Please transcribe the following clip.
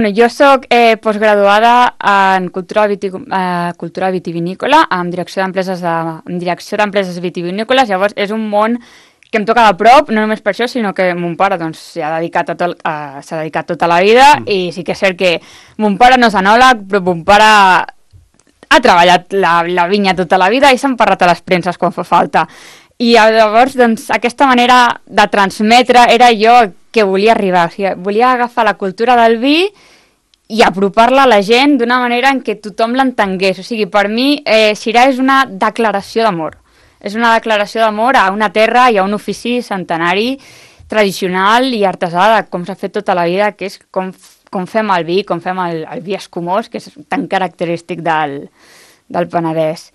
Bueno, jo soc postgraduada en cultura vitivinícola amb direcció d'empreses vitivinícoles, llavors és un món que em toca de prop, no només per això, sinó que mon pare doncs, s'ha dedicat tota la vida i sí que és cert que mon pare no és enòleg, però mon pare ha treballat la vinya tota la vida i s'ha emparrat a les premses quan fa falta. I llavors, doncs, aquesta manera de transmetre era jo que volia arribar. O sigui, volia agafar la cultura del vi i apropar-la a la gent d'una manera en què tothom l'entengués. O sigui, per mi, Syrah és una declaració d'amor. És una declaració d'amor a una terra i a un ofici centenari, tradicional i artesà, com s'ha fet tota la vida, que és com fem el vi, com fem el vi escumós, que és tan característic del Penedès.